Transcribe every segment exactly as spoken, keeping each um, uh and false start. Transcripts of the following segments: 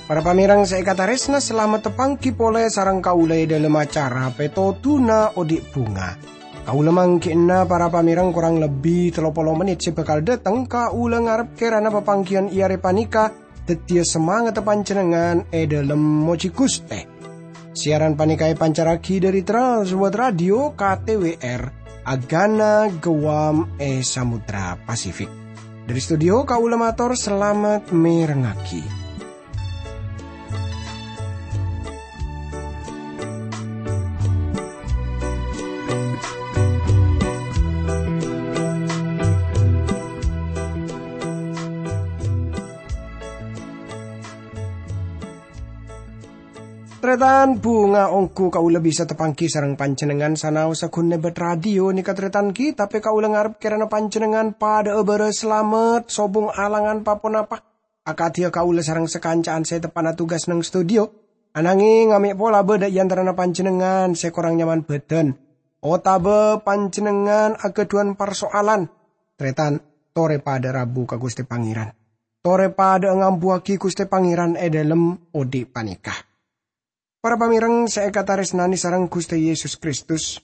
Para pamèrèng sè èkatarèsna, salamet tapangghi polè sareng kaulâ è dhâlem acara Pètodhuna Odi' Bhunga. Kaulâ mangghi'na para pamèrèng korang lebbi tello polo mennit sè bhâkal dhâteng, kaulâ ngarep kèrana papangghiyân è arè panèka dhâddhiyâ samangatta panjhennengngan è dhâlem mojhi Ghustè. Siaran panèka èpancarraghi dhâri Trans World Radio K T W R, Agana Guam è Samudra Pasifik. Dhâri studio kaulâ mator salamet mèrengngaghi. Tarètan, bhunga ongghu kaulâ bisa tapangghi sareng panjhennengngan sanaossa ghun nèbât radio nèka tarètan ghi, tapè kaulâ ngarep kèrana panjhennengngan padhâ'â bârâs salamet, sobung alangan pa-ponapa. Akadhiyâ kaulâ sareng sakanca'an sè teppa'na tugas neng studio, ananging amè' pola bâdâ è antarana panjhennengngan sè korang nyaman bhâdhân, otabâ panjhennengngan aghâdhuwân parso'alan. Tarètan, torè padhâ rabu ka Ghustè Pangèran. Torè padhâ'â ngambuwâghi Ghustè Pangèran è dhâlem odi' panèka. Para pamèrèng sè èkatarèsnanè sareng Ghustè Yesus Kristus,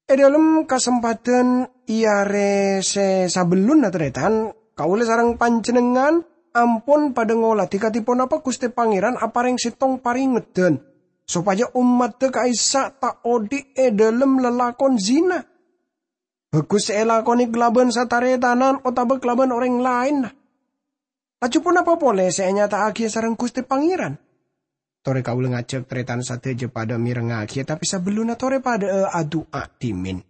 è dhâlem kasempadhân è arè sè sabellunna tarètan, kaulâ sareng panjhennengngan ampon padhâ ngolatè kadhi ponapa Ghustè Pangèran aparèng sèttong parèngeddhân, sopajâ ommaddhâ ka'issa' ta' odi' è dhâlem lalakon zina. Bhâghus sè èlakonè kalabân sataretanan otabâ kalabân orèng laènna. Laju ponapa polè sè ènyata'aghiyâ sareng Ghustè Pangèran? Torè kaulâ ngajhâk tarètan sadhâjâ padhâ mèrengngaghi, tapè sabellunna torè padhâ'â adu'a dhimèn.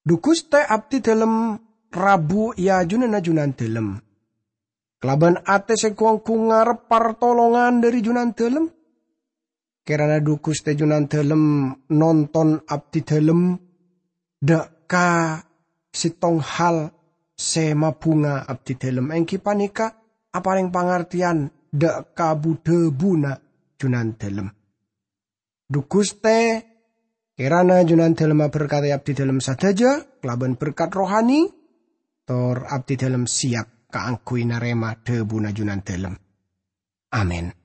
Dhu Ghustè, abdhi dhâlem rabu è ajunanna Junandhâlem. Kalabân atè sè gu-onggu ngarep partolongan dhâri Junandhâlem. Kèrana dhu Ghustè Junandhâlem nonton abdhi dhâlem dâ' ka sèttong hal sè mabhunga abdhi dhâlem, èngghi panèka aparèng pangartèyan dâ' ka bu-dhâbuna Junandhâlem. Dhu Ghustè, kèrana Junandhâlem aberkadhi abdhi dhâlem sadhâjâ kalabân berkat rohani, tor abdhi dhâlem sèyap kaangghuy narèma dhâbuna Junandhâlem. Amin.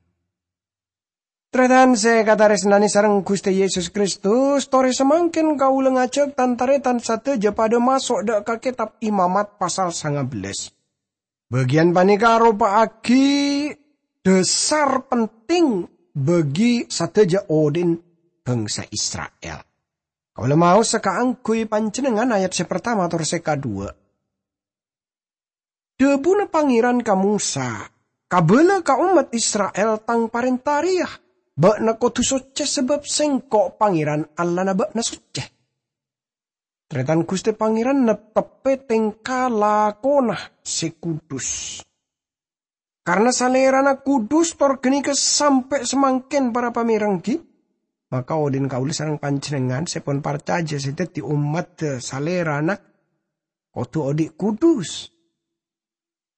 Tarètan sè èkatarèsnanè sareng Ghustè Yesus Kristus, torè samangkèn kaulâ ngajhâk tan-tarètan sadhâjâ padhâ maso' dâ' ka Kètab Imamat pasal sanga bellâs. Bâgiyân panèka aropa'aghi dhâsar penting bagi sadhâjâ odi'na bhângsa Isra'il. Kaulâ maosa kaangghuy panjhennengngan ayat sè partama tor sè kaduwâ'. Dhâbuna Pangèran ka Mosa, "Kabâlâ ka ommat Isra'il Tang parènta rèya, 'Bâ'na kodhu soccè sabâb Sèngko' Pangèran Allahna bâ'na soccè.'" Tarètan Ghustè Pangèran neptebbhi tèngka lakona sè kudus. Karna Salèrana kudus tor ghânèka sampè' samangkèn para pamèrengngaghi, maka odi'na kaulâ sareng panjhennengngan sè pon parcajâ sè dhâddhi ommaddhâ Salèrana kodhu odi' kudus.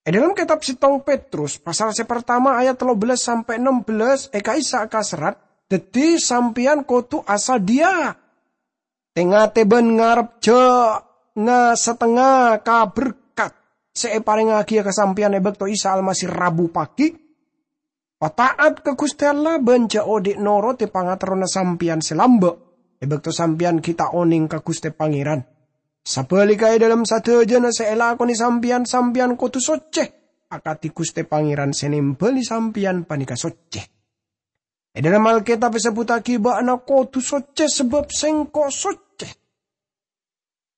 È dhâlem kètab sèttong Petrus, pasal sè partama ayat tello bellâs sampè' ennem bellâs, è ka'issa' kaserrat, "Dhâddhi sampèyan kodhu asadhiyâ tè-ngatè bân ngarep jhâ' nga-satengnga ka berkat sè èparèngngagiyâ ka sampèyan è bâkto Isa Almasih rabu pagi. Pata'at ka Ghustè Allah bân jhâ' odi' noro'è pangaterrona sampèyan sè lambâ' è bâkto sampèyan ghi' ta' onèng ka Ghustè Pangèran. Sabhâligghâ è dhâlem sadhâjâna sè èlakonè sampèyan, sampèyan kodhu soccè, akadhi Ghustè Pangèran sè nèmbhâli sampèyan panèka soccè." È dhâlem Alkètab èsebbhuttaghi, "Bâ'na kodhu soccè sabâb Sèngko' soccè."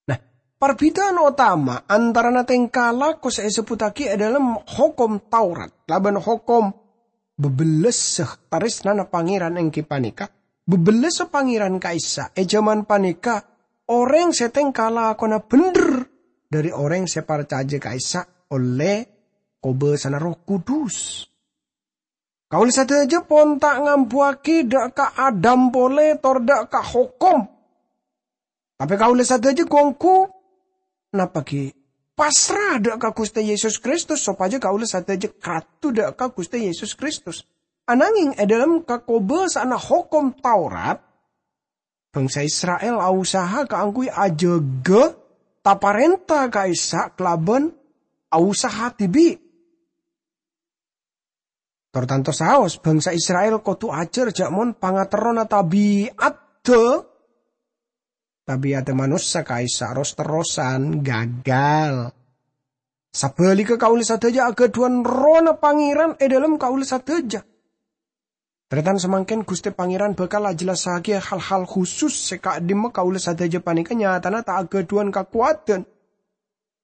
Nah, parbhidhâ'ân otama antarana tèngka lako sè èsebbhuttaghi è dhâlem Hokom Taurat kalabân hokom bebellessa tarèsnana Pangèran èngghi panèka, bebellessa Pangèran ka'issa' è jhâman panèka orèng sè tèngka lakona bhendher dhâri orèng sè parcajâ ka'issa' ollè kobâsana Erroh Kudus. Kaulâ sadhâjâ pon ta' ngambuwâghi dâ' ka Adam polè tor dâ' ka hokom. Tapè kaulâ sadhâjâ gu-onggu, napa ghi', pasra dâ' ka Ghustè Yesus Kristus, sopajâ kaulâ sadhâjâ kadu dâ' ka Ghustè Yesus Kristus. Anangeng è dhâlem kakobâsa'anna Hokom Taurat, bhângsa Isra'il ausaha kaangghuy ajâgâ ta-parènta ka'issa' kalabân ausaha dhibi'. Tor tanto saos, bhângsa Isra'il kodhu ajhâr jhâ' mon pangaterrona tabi'adda, tabi'adda manossa ka'issa' ros-terrosan gagal. Sabhâligghâ, kaulâ sadhâjâ aghâdhuwân Errohna Pangèran è dhâlem kaulâ sadhâjâ. Tarètan, samangkèn Ghustè Pangèran bhâkal ajhellassaghiyâ hal-hal khusus sè ka'dimma kaulâ sadhâjâ panèka nyatana ta' aghâdhuwân kakowadhân.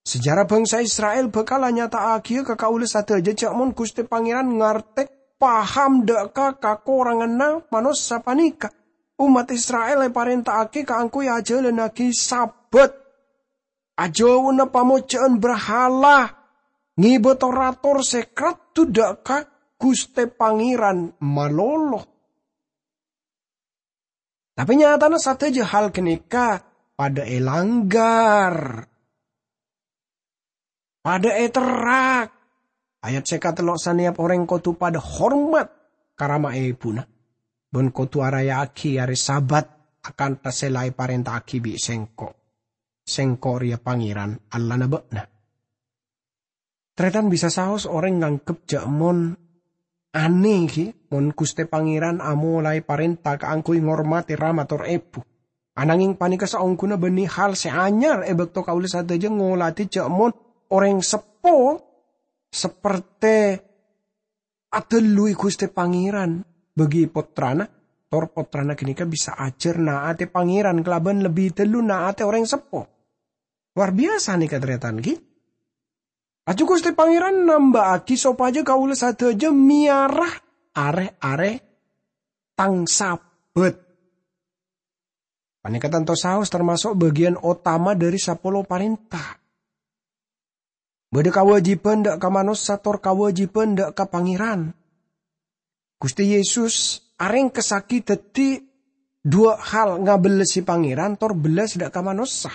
Sejarah bhângsa Isra'il bhâkal anyata'aghiyâ ka kaulâ sadhâjâ jhâ' mon Ghustè Pangèran ngartè paham dhâ' ka kakoranganna manossa panèka. Ommat Isra'il èparènta'aghi kaangghuy ajhâlânnaghi Sabat, ajhâuna pamojâ'ân brahala, ngèbâ tor-ator sè kradhu dhâ' ka Ghustè Pangèran malolo. Tapè nyatana sadhâjâ hal ghânèka padâ èlanggar, padâ èterrak. Ayat sè katello', "Sanèyap orèng kodhu padâ hormat ka rama èbhuna, bân kodhu araya'aghi arè Sabat akantha sè la èparènta'aghi bi' Sèngko'. Sèngko' rèya Pangèran, Allahna bâ'na." Tarètan, bisa saos orèng nganggep jhâ' mon anèh, ghi, mon Ghustè Pangèran amolaè parènta kaangghuy ngormadhi rama tor èbhu. Anangèng panèka saongghuna bânnè hal sè anyar è bâkto kaulâ sadhâjâ ngolatè jhâ' mon orèng seppo sapertè adhâlluwi Ghustè Pangèran bâgi pottrana, tor pottrana ghânèka bisa ajhâr naatè Pangèran kalabân lebbi dhâllu naatè orèng seppo. Lowar biyasa nèka, tarètan, ghi. Laju Ghustè Pangèran namba'aghi sopajâ kaulâ sadhâjâ mèyara rè-arè Tang Sabat. Panèka tanto saos tamaso' bâgiyân otama dhâri sapolo parènta. Bâdâ kawâjibhân dhâ' ka manossa tor kawâjibhân dhâ' ka Pangèran. Ghustè Yesus arèngkessaghi dhâddhi duwâ' hal, ngabellasi Pangèran tor bellas dhâ' ka manossa.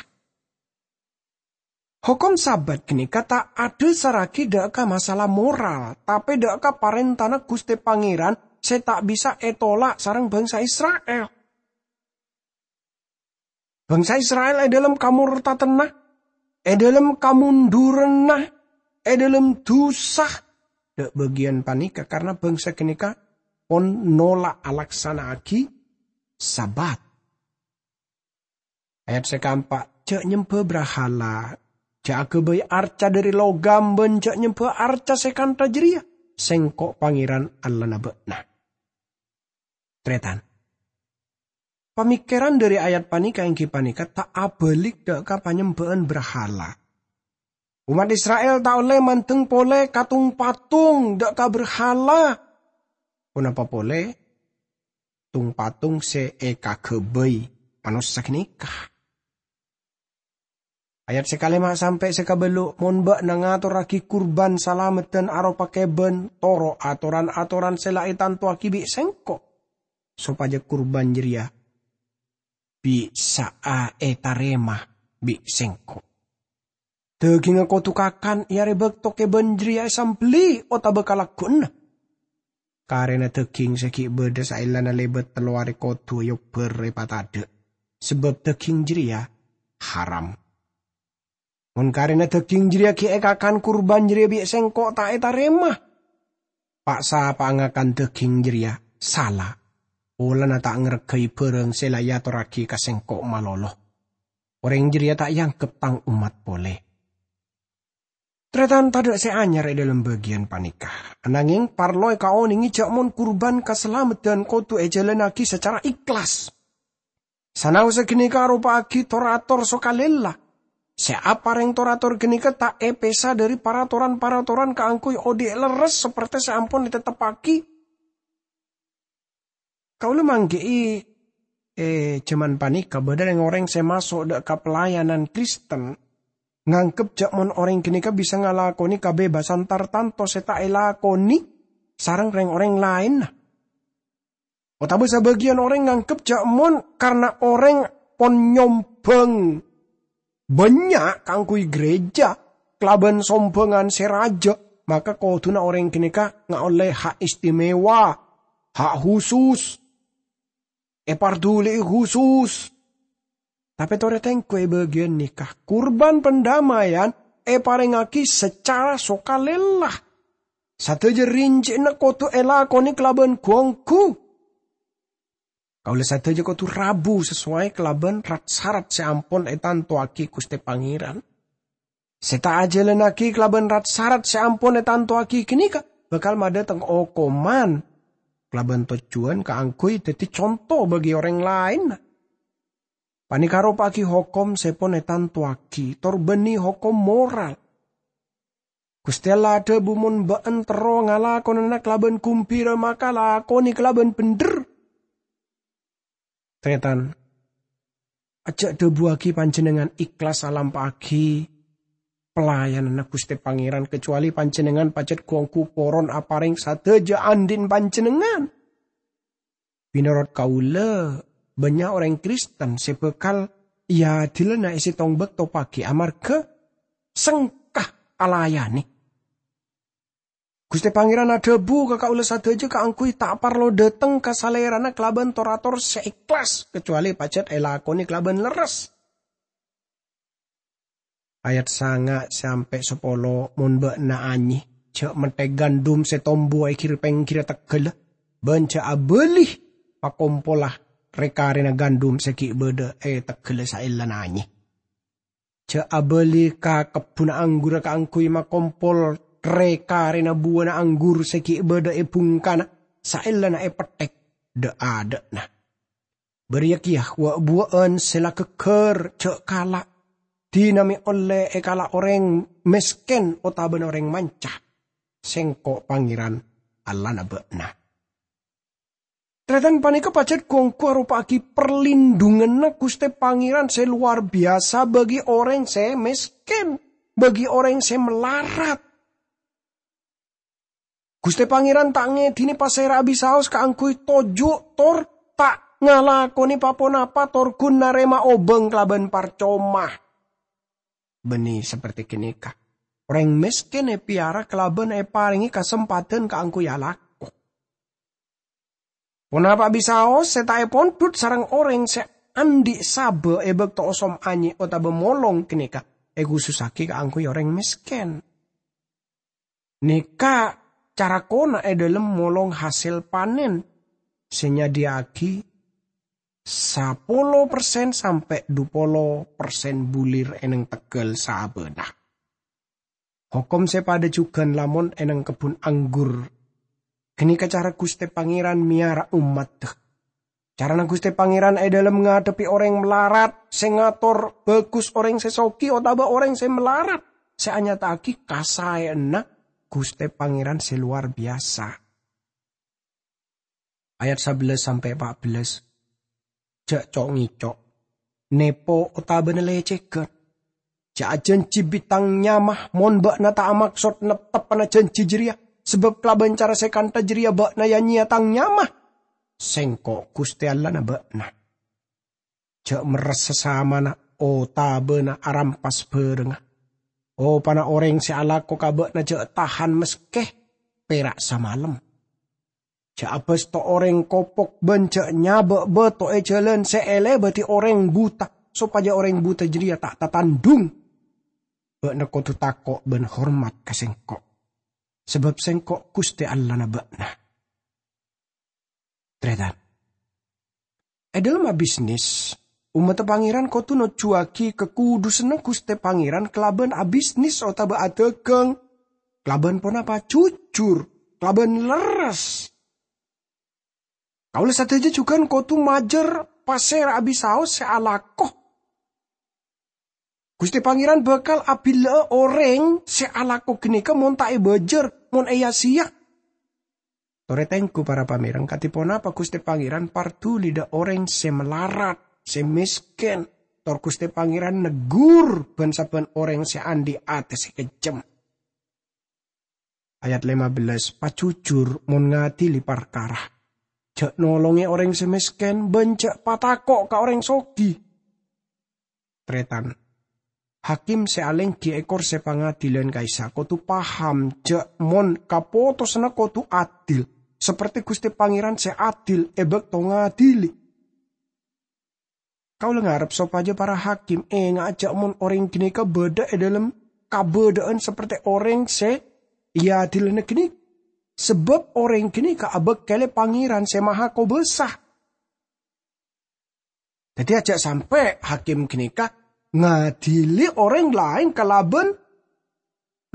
Hokom Sabat ghânèka ta' adhâsarraghi dhâ' ka masalah moral, tapè dhâ' ka parèntana Ghustè Pangèran sè ta' bisa ètolak sareng bhângsa Isra'il. Bhângsa Isra'il è dhâlem kamortadhânna, è dhâlem kamondhurânna, è dhâlem dhusa, dhâ' bâgiyân panèka karna bhângsa ghânèka pon nolak alaksana'aghi Sabat. Ayat sè kaempa', "Jhâ' nyembhâ brahala, jhâ' aghâbây arca dhâri logam, bân jhâ' nyembhâ arca sè kantha jârèya, Sèngko' Pangèran Allahna bâ'na." Tarètan. Pamèkkèran dhâri ayat panèka èngghi panèka ta' abâlik dhâ' ka panyembhâ'ân brahala. Ommat Isra'il ta' ollè mandeng polè ka tung-patung dhâ' ka brahala. Ponapa polè tung-patung sè èkaghâbây manossa ghânèka? Ayat sè kalèma' sampè' sè kabâllu', "Mon bâ'na ngatorraghi kurban salameddhân aropa kèbân, toro' atoran-atoran sè la ètantowaghi bi' Sèngko', sopajâ kurban jârèya bisa'a ètarèma bi' Sèngko'. Dhâghingnga kodhu kakan è arè bâkto kèbân jârèya èsambelli otabâ kalagghuna. Karèna dhâghing sè ghi' bâdâ saellana lèbât tello arè kodhu èobbhâr èpatadâ', sabâb dhâghing jârèya haram. Mon karèna dhâghing jârèya ghi' èkakan, kurban jârèya bi' Sèngko' ta' ètarèma. Pa'-sapa'a ngakan dhâghing jârèya sala, polana ta' ngarghâi bhârâng sè la èatorraghi ka Sèngko' malolo. Orèng jârèya ta' èangghep Tang ommat polè." Tarètan, tadâ' sè anyar è dhâlem bâgiyân panèka. Anangèng, parlo èkaonèngè jhâ' mon kurban kasalameddhân kodhu èjhâlânnaghi sacara ikhlas. Sanaossa ghânèka aropa'aghi tor-ator sokalèla. Sè aparèng tor-ator ghânèka ta' èpèsa dhâri paratoran-paratoran kaangghuy odi' lerres sapertè sè ampon ètetteppaghi. Kaulâ mangghi'i, è jhâman panèka bâdâ rèng-orèng sè maso' dhâ' ka pelayanan Kristen, nganggep jhâ' mon orèng ghânèka bisa ngalakonè kabebassan tartanto sè ta' èlakonè sareng rèng-orèng laènna. Otabâ sabâgiyân orèng nganggep jhâ' mon karna orèng pon nyombhâng bânnya' kaangghuy ghârèjâ kalabân sombhângan sè rajâ, maka kodhuna orèng ghânèka ngaollè hak istimewa ha' husus, èparduli'i husus. Tapè torè tengghu è bâgiyân nèka, kurban pandamaian èparèngaghi sacara sokalèla. Sadhâjâ rinci'na kodhu èlakonè kalabân ghu-ongghu. Kaulâ sadhâjâ kodhu rabu sasowai kalabân rat-sarat sè ampon ètantowaghi Ghustè Pangèran. Sè ta' ajhâlânnaghi kalabân rat-sarat sè ampon ètantowaghi ghânèka bhâkal madhâteng okoman. Kalabân tojjhuwân kaangghuy dhâddhi conto bagi orèng laènna. Panèka aropa'aghi hokom sè pon ètantowaghi, tor bânnè hokom moral. Ghustè Allah adhâbu, "Mon bâ'ân terro ngalakonana kalabân ghumbhira, maka lakonè kalabân bhendher." Tarètan, ajjhâ' dhâbuwaghi panjhennengngan èhlas alampa'aghi pelayananna Ghustè Pangèran, kacowalè panjhennengngan pajhât ghu-ongghu poron aparèng sadhâjâ andi'na panjhennengngan. Mènorot kaulâ, bânnya' orèng Kristen sè bhâkal èadilana è sèttong bâkto paghi' amarghâ sengka alayanè. Ghustè Pangèran adhâbu ka kaulâ sadhâjâ kaangghuy ta' parlo dhâteng ka Salèrana kalabân tor-ator sè èhlas, kacowalè pajhât èlakonè kalabân lerres. Ayat sanga' sampè' sapolo, "Mon bâ'na anyè, jhâ' mètthè gandum sè tombu è ghir-pèngghirra teggâlla, bân jhâ' abâli makompola rè-karèna gandum sè ghi' bâdâ è teggâlla saellana anyè. Jhâ' abâli ka kebbhunna anggurra kaangghuy makompol rè-karèna buwâna anggur sè ghi' bâdâ è bhungkana saellana èpètthèk dâ'-adâ'na. Bâriyâ kèya wa'-buwâ'ân sè la ghâgghâr, jhâ' kala'. Dinah mè' ollè èkala' orèng mèskèn otabâna orèng manca. Sèngko' Pangèran Allahna bâ'na." Tarètan, panèka pajhât ghu-ongghu aropa'aghi parlindunganna Ghustè Pangèran sè lowar biyasa bagi orèng sè mèskèn, bagi orèng sè malarat. Ghustè Pangèran ta' ngèdinè pasèra abisaos kaangghuy toju' tor ta' ngalakonè pa-ponapa tor ghun narèma obâng kalabân parcoma. Bânnè saperti ghânèka. Orèng mèskèn èpèyara kalabân èparèngè kasempadhân kaangghuy alako. Ponapa abisaos sè ta' èpondhut sareng orèng sè andi' sabâ è bâkto osom anyè otabâ molong ghânèka èkhusussaghi kaangghuy orèng mèskèn. Nèka cara kona è dhâlem molong hasèl panèn sè nyadhiyâ'aghi sapolo persen sampè' dupolo persen bulir è neng teggâl sabâna. Hokom sè padâ jhughân lamon è neng kebbhun anggur. Ghânèka cara Ghustè Pangèran mèyara ommaddhâ. Carana Ghustè Pangèran è dhâlem ngadhebbhi orèng malarat sè ngator bhâghus orèng sè soghi otabâ orèng sè malarat sè anyata'aghi kasaèyanna Ghustè Pangèran sè lowar biyasa. Ayat sabellâs sampè' pa' bellâs. Jhâ' co'-ngèco', nèpo otabâna lècèghân. Jhâ' ajhânjhi bi' Tang nyama mon bâ'na ta' amaksod neptebbhâna jhânjhi jârèya, sabâb kalabân cara sè kantha jârèya bâ'na ya-nyèya Tang nyama. Sèngko' Ghustè Allahna bâ'na. Jhâ' merressa samana otabâna arampas bhârângnga. Opana orèng sè alako ka bâ'na jhâ' tahan maskè pèra' samalem. Jhâ' abâsto orèng kopok bân jhâ' nyabâ' bâto è jhâlân sè èlèbâdhi orèng buta, sopajâ orèng buta jârèya ta' tatandhung. Bâ'na kodhu tako' bân hormat ka Sèngko', sabâb Sèngko' Ghustè Allahna bâ'na. Tarètan. È dhâlem abisnis, ommaddhâ Pangèran kodhu nojjhuwâghi kakudusânna Ghustè Pangèran kalabân abisnis otabâ adhâghâng kalabân ponapa? Jujur, kalabân lerres. Kaulâ sadhâjâ jhughân kodhu majâr pasèra abisaos sè alako. Ghustè Pangèran bhâkal abillâ'â orèng sè alako ghânèka mon ta' èbâjâr, mon èya-sèya. Torè tengghu, para pamèreng, kadhi ponapa Ghustè Pangèran parduli dâ' orèng sè malarat, sè mèskèn, tor Ghustè Pangèran neggur bân-sabbhân orèng sè andi' atè sè kejjhem. Ayat lèma bellâs, pajhujhur mon ngadili parkara. Jhâ' nolongè orèng sè mèskèn, bân jhâ' patako' ka orèng soghi. Tarètan. Hakim sè alèngghi è korsè pangadilan ka'issa' kodhu paham jhâ' mon kapotosanna kodhu adil, saperte Guste Pangeran se adil e bakto ngadili. Kaula ngarep sopaja para hakim enga'a ja' mon oreng ganeka badha e dhalem kabadha'an saperte oreng se eadilana ganeka, sabab oreng ganeka abakkele Pangeran Se Mahakobasa. Daddi aja' sampe' hakim ganeka ngadili oreng laen kalaban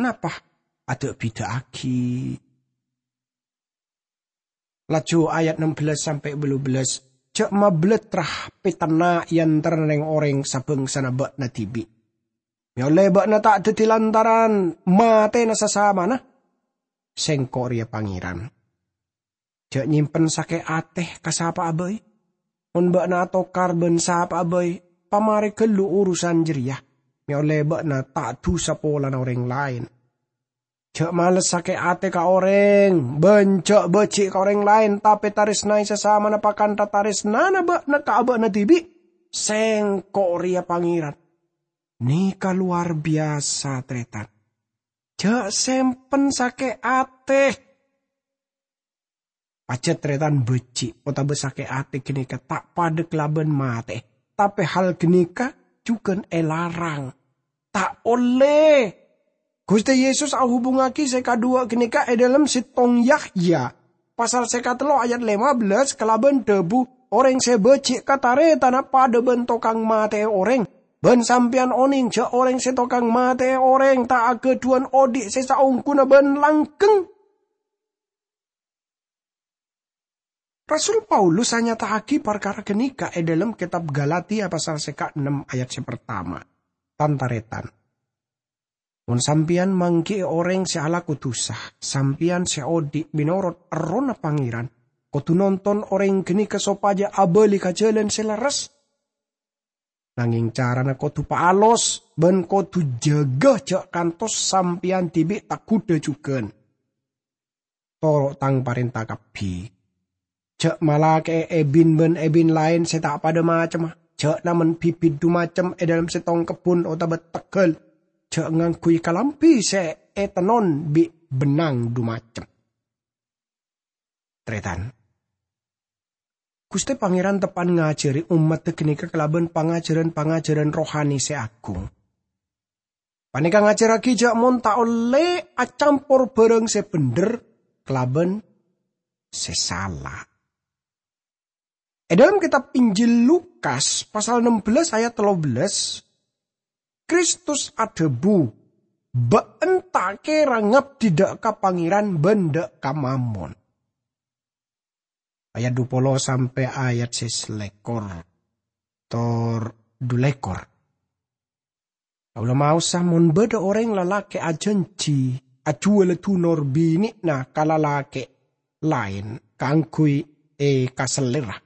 napa? Ada'-bida'agi. Laju ayat enam belas sampe' bâllu bellas, "Ja' mablatra petenna' e antarana reng-oreng sabangsana ba'na dibi'. Me' olle ba'na ta' daddi lantaran matena sasamana. Sengko' reya Pangeran. Ja' nyimpen sake' ate ka sapa'a bai. Mon ba'na atokar ban sapa'a bai, pamare gallu urusan jareya. Me' olle ba'na ta' dusa polana oreng laen. Ja' males sake' ate ka oreng, ban ja' baji' ka oreng laen, tape taresnae sasamana pakantha taresnana ba'na ka aba'na dibi'. Sengko' reya Pangeran." Neka lowar biyasa, taretan. Ja' sempen sake' ate. Pajat taretan baji' otaba sake' ate ganeka ta' padha kalaban mate, tape hal ganeka jugan elarang. Ta' olle. Guste Yesus ahubungagi se kadhuwa ganeka e dhalem settong Yahya, pasal seka tello ayat lima belas, kalaban dhabu, "Oreng se baji' ka taretana padha ban tokang mate'e oreng. Ban sampeyan oneng ja' oreng se tokang mate'e oreng ta' agadhuwan odhi' se saongguna ban langgeng." Rasul Paulus anyata'agi parkara ganeka e dhalem Ketab Galatia pasal seka ennem ayat se partama. Tan-taretan, mon sampeyan manggi'i oreng se alako dusa, sampeyan se odhi' menorot Errohna Pangeran, kodu nonton oreng ganeka sopaja abali ka jalan se lerres. Nangeng carana kodu paalos ban kodu jaga ja' kantos sampeyan dibi' ta' ghudha jugan. Toro' tang parenta kabbi. Ja' malake'e ebin ban ebin laen se ta' padha macemma. Ja' namen bibit dhu macem e dhalem settong kebbun otaba teggal. Ja' ngangguy kalambi se etennon bi' bennang dhu macem. Taretan, Guste Pangeran teppa'an ngajari ommadda ganeka kalaban pangajaran-pangajaran rohani se agung. Paneka ngajarragi ja' mon ta' olle acampor barang se bendher kalaban se sala. E dhalem Ketab Injil Lukas pasal ennem belas ayat tello belas, Kristus adhabu, "Ba'en ta' kera ngabdi dha' ka Pangeran ban dha' ka Mammon." Ayat dhu polo sampe' ayat se selekor tor dhu lekor. Kaula maosa mon badha oreng lalake' ajanji ajuwala dunor bine'na ka lalake' laen kaangguy ekasellera.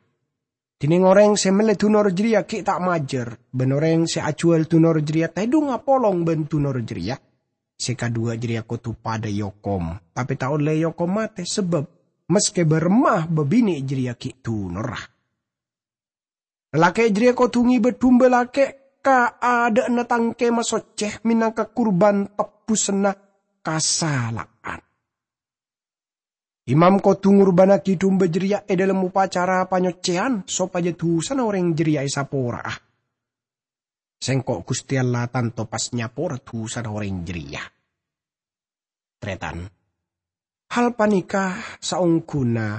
Dineng oreng se melle dunor jareya gi' ta' majâr, ban oreng se ajuwal dunor jareya tedhung apolong ban dunor jareya. Se kadhuwa jareya kodu padha eokom, tape ta' olle eokom mate, sabab maske baremma babine' jareya gi' dunorra. Lalake' jareya kodu ngeba dumba lake' ka adha'na tang kemah socce menangka kurban tebbusanna kasala'an. Imam kodu ngurbannagi dumba jareya e dhalem opacara panyocceyan sopaja dusana oreng jareya esapora'a. Sengko' Guste Allah tanto pas nyapora dusana oreng jareya. Taretan, hal paneka saongghuna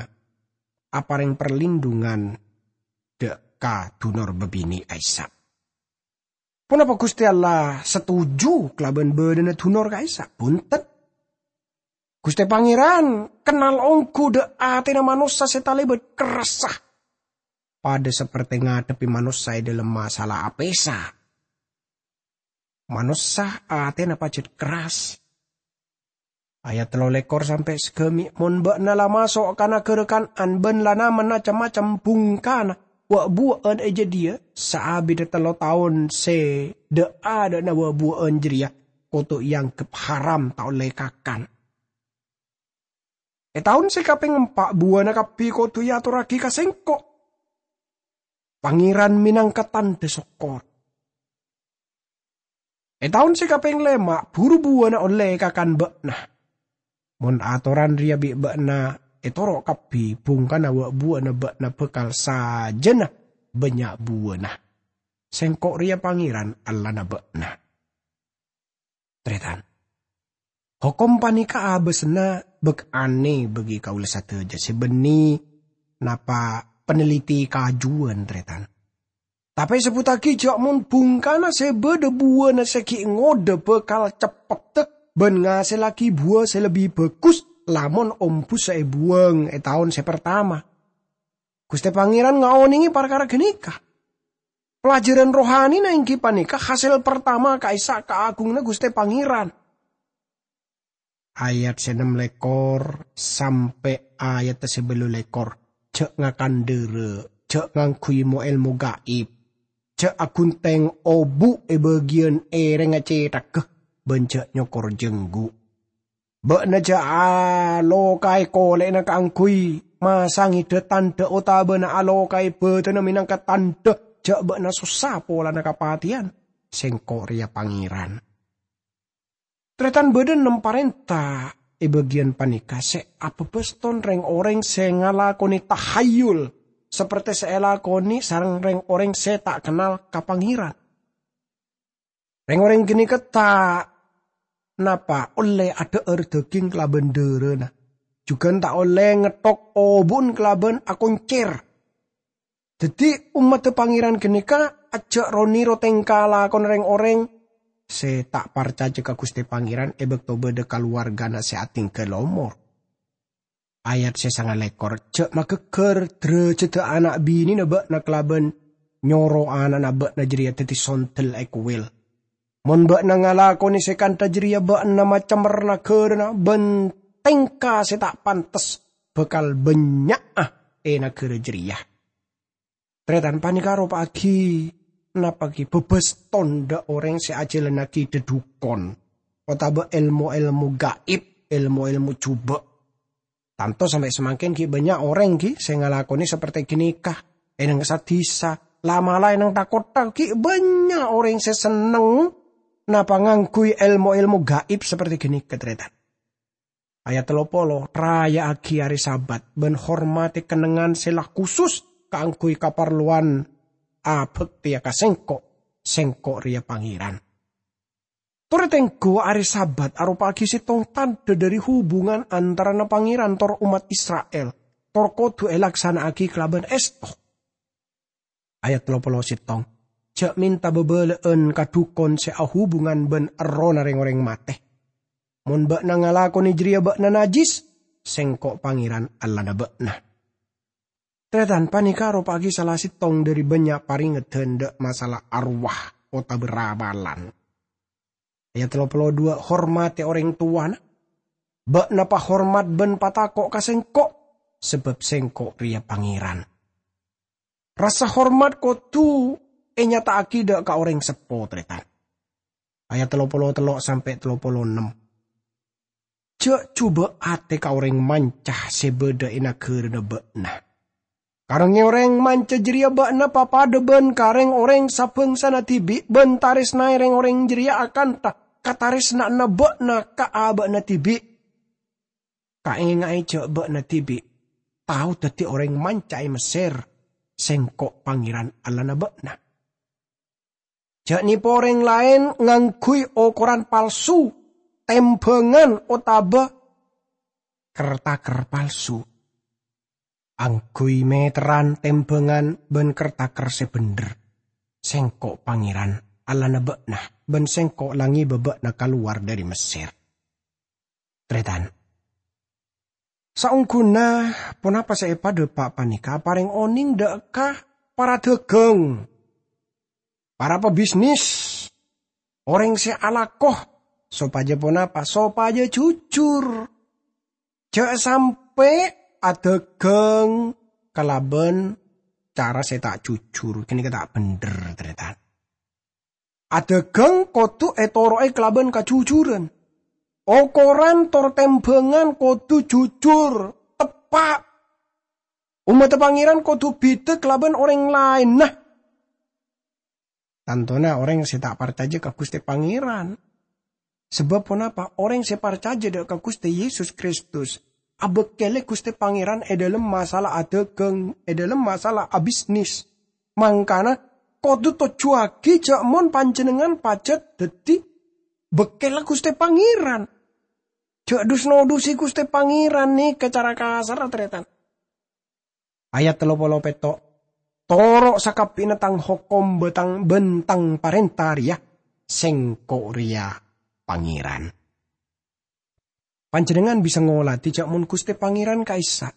apareng parlindhungan dha' ka dunor babine' ka'issa'. Ponapa Guste Allah setuju kalaban badhana dunor ka'issa'? Bunten. Guste Pangeran kennal onggu dha' atena manossa se talebat kerrassa. Padha saperte ngadhebbi manossa e dhalem masala apesa. Manossa atena pajat kerras. Ayat tello lekor sampe' sagami', "Mon ba'na la maso' ka nagara Kan'an ban la namen cem-macem bungkana wa'-buwa'an e jadhiya, saabidda tello taon se dha'-adha'na wa'-buwa'an jareya kodu eanggep haram ta' olle ekakan. E taon se kapeng empa' buwana kabbi kodu eatorragi ka Sengko', Pangeran menangka tandha sokkor. E taon se kapeng lema' buru buwana olle ekakan ba'na. Mon atoran reya bi' ba'na ètoro' kabbhi bhungkana wa'-buwa'na ba'na bhâkal sajâna bânnya' buwâna. Sèngko' rèya Pangèran, Allana ba'na. Tarètan, hokom panèka abâsna bâk anè bagi kaulâ sadhâjâ sè bânnè napa paneliti kajuwân, tarètan. Tapè èsebbhuttaghi jâ' mon bhungkana sè bâdâ buwâna sè ghi' ngodâ bhâkal ceppeddhâ bân ngasèllaghi buwâ sè lebbi bhâghus lamon ombussa èbuwâng è taon sè partama. Ghustè Pangèran ngaonèngè parkara ghânèka. Pelajaran rohanina èngghi panèka hasèl partama ka'issa' kaagunganna Ghustè Pangèran. Ayat sè ennem lèkor sampè' ayat sè bâllu lèkor. Jâ' ngakan dârâ, jâ' ngangghuy mo-èlmo gaib, jâ' aghuntheng obu' è bâgiyân èrèngnga cèthagghâ, bân jâ' nyokor jhângghu. Bâ'na jâ' alokaè kolè'na kaangghuy masangè dâ-tandhâ otabâna alokaè bâdânna mènangka tandhâ jâ' bâ'na sossa polana kapatèyan. Sèngko' rèya Pangèran. Tarètan, bâdâ ennem parènta è bâgiyân panèka sè abâbâston rèng-orèng sè ngalakonè tahayul, saperte sè èlakonè sareng rèng-orèng sè ta' kennal ka Pangèran. Rèng-orèng ghânèka ta' napa ollè adhâ'âr dhâghing kalabân dârâna, jhughân ta' ollè ngetthok obu'en kalabân akoncèr. Dhâddhi, ommaddhâ Pangèran ghânèka ajâ' ro-nèro tèngka lakona rèng-orèng sè ta' parcajâ ka Ghustè Pangèran è bâkto bâdâ kalowargana sè atèngghâl omor. Ayat sè sanga lèkor, "Jâ' maghâghâr dârâjhâddhâ ana' binèna bâ'na kalabân nyoro ana'na bâ'na jârèya dhâddhi sondel è kowèl. Mon bâ'na ngalakonè sè kantha jârèya, bâ'na macemmer naghârâna bân tèngka sè ta' pantes bhâkal bânnya'a è naghârâ jârèya." Tarètan, panèka aropa'aghi napa ghi bâbâston dâ' orèng sè ajhâlannaghi dhâdhukon otabâ èlmo-èlmo gaib, èlmo-èlmo jhubâ'. Tanto sampè' samangkèn ghi' bânnya' orèng ghi sè ngalakonè saperte ghânèka è neng-, sa-dhisa. La'-mala' è neng tha-kottha ghi' bânnya' orèng sè senneng napa ngangghuy èlmo-èlmo gaib saperte ghânèka, tarètan. Ayat tello polo, "Raya'aghi arè Sabat bân hormatè kennengngan sè la khusus kaangghuy kaparlowan abhâktèya ka Sèngko'. Sèngko' rèya Pangèran." Torè tengghu arè Sabat aropa'aghi sèttong tandhâ dhâri hubungan antarana Pangèran tor ommat Isra'il, tor kodhu èlaksana'aghi kalabân èsto. Ayat tello polo sèttong, "Jâ' mènta bâbâlâ'ân ka dhukon sè ahubungan bân errohna rèng-orèng matè. Mon bâ'na ngalakonè jârèya bâ'na najjhis, Sèngko' Pangèran Allahna bâ'na." Tarètan, panèka aropa'aghi sala sèttong dhâri bânnya' parèngedhân dâ' masalah arwah otabâ ramalan. Ayat tello polo dua, "Hormatè orèng towana. Bâ'na pahormat bân patako' ka Sèngko', sabâb Sèngko' rèya Pangèran." Rassa hormat kodhu ènyata'aghi dâ' ka orèng seppo, tarètan. Ayat tello polo tello' sampè' tello polo ennem. "Jâ' jhubâ' atè ka orèng manca sè bâdâ è naghârâna bâ'na. Ka rèng-orèng manca jârèya bâ'na papadâ bân ka rèng-orèng sabhângsana dhibi' bân tarèsnaè rèng-orèng jârèya akantha katarèsna'anna bâ'na ka abâ'na dhibi'. Kaènga'è jâ' bâ'na dhibi' tao dhâddhi orèng manca è Messèr, Sèngko' Pangèran Allahna bâ'na. Jâ' nèpo orèng laèn ngangghuy okoran palsu, tèmbhângan otabâ ker-taker palsu. Angghuy mèterran tèmbhângan bân ker-taker sè bhendher. Sèngko' Pangèran, Allahna bâ'na, bân Sèngko' la ngèbâ bâ'na kalowar dhâri Messèr." Tarètan. Saongghuna ponapa sè èpadhâpa' panèka aparèng onèng dâ' ka para dhâghâng, para pabisnis, orèng sè alako, sopajâ ponapa? Sopajâ jujur. Jâ' sampè' adhâghâng kalabân cara sè ta' jujur, ghânèka ta' bhendher, tarètan. Adhâghâng kodhu ètoro'è kalabân kajujuran. Okoran tor tèmbhângan kodhu jujur, teppa'. Ommaddhâ Pangèran kodhu bhidhâ kalabân orèng laènna. Tantona orèng sè ta' parcajâ ka Ghustè Pangèran. Sabâb ponapa? Orèng sè parcajâ dâ' ka Ghustè Yesus Kristus abâkkèlè Ghustè Pangèran è dhâlem masalah adhâghâng, è dhâlem masalah abisnis. Mangkana, kodhu tojjhuwaghi jhâ' mon panjhennengngan pajhât dhâddhi bâkkèlla Ghustè Pangèran. Jhâ' dus-nodusi Ghustè Pangèran nèka cara kasarra, tarètan. Ayat tello polo pètto', "Toro' sakabbhiyânna tang hokom bân tang, bân tang parènta rèya, Sèngko' rèya Pangèran." Panjhennengngan bisa ngoladhi jhâ' mon Ghustè Pangèran ka'issa',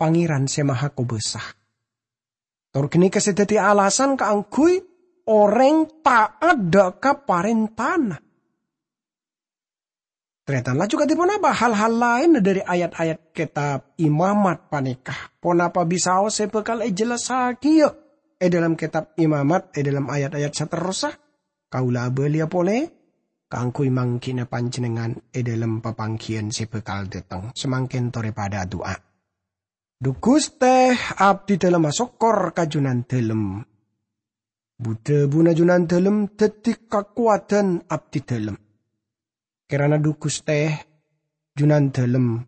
Pangèran sè Mahakobâsa. Tor ghânèka sè dhâddhi alasan kaangghuy orèng ta'at dhâ' ka parèntana. Tarètan, laju kadhi ponapa hal-hal laènna dhâri ayat-ayat kètab Imamat panèka? Ponapa bisaos sè bhâkal èjellassaghiyâ è dhâlem kètab Imamat è dhâlem ayat-ayat saterrossa? Kaulâ abâliyâ polè kaangghuy manggina panjhennengngan è dhâlem papangghiyân sè bhâkal dâteng. Samangkèn torè padâ adu'a. Dhu Ghustè, abdhi dhâlem asokkor ka Junandhâlem. Bu-dhâbuna Junandhâlem dhâddhi kakowadhân abdhi dhâlem. Kèrana Dhu Ghustè, Junandhâlem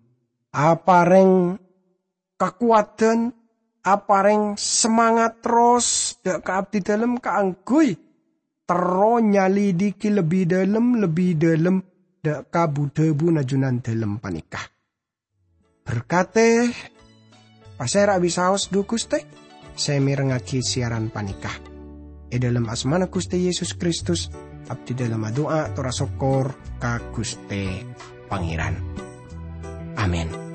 aparèng kakowadhân, aparèng semangat terros dhâ' ka abdhi dhâlem kaangghuy terro nyalidhighi lebbi dhâlem, lebbi dhâlem dhâ' ka bu-dhâbuna Junandhâlem panèka. Berkadhi pasèra bisaos Dhu Ghustè sè mèrengngaghi siyaran panèka. È dhâlem asmana Ghustè Yesus Kristus, abdhi dhâlem adu'a tor asokkor ka Ghustè Pangèran. Amin.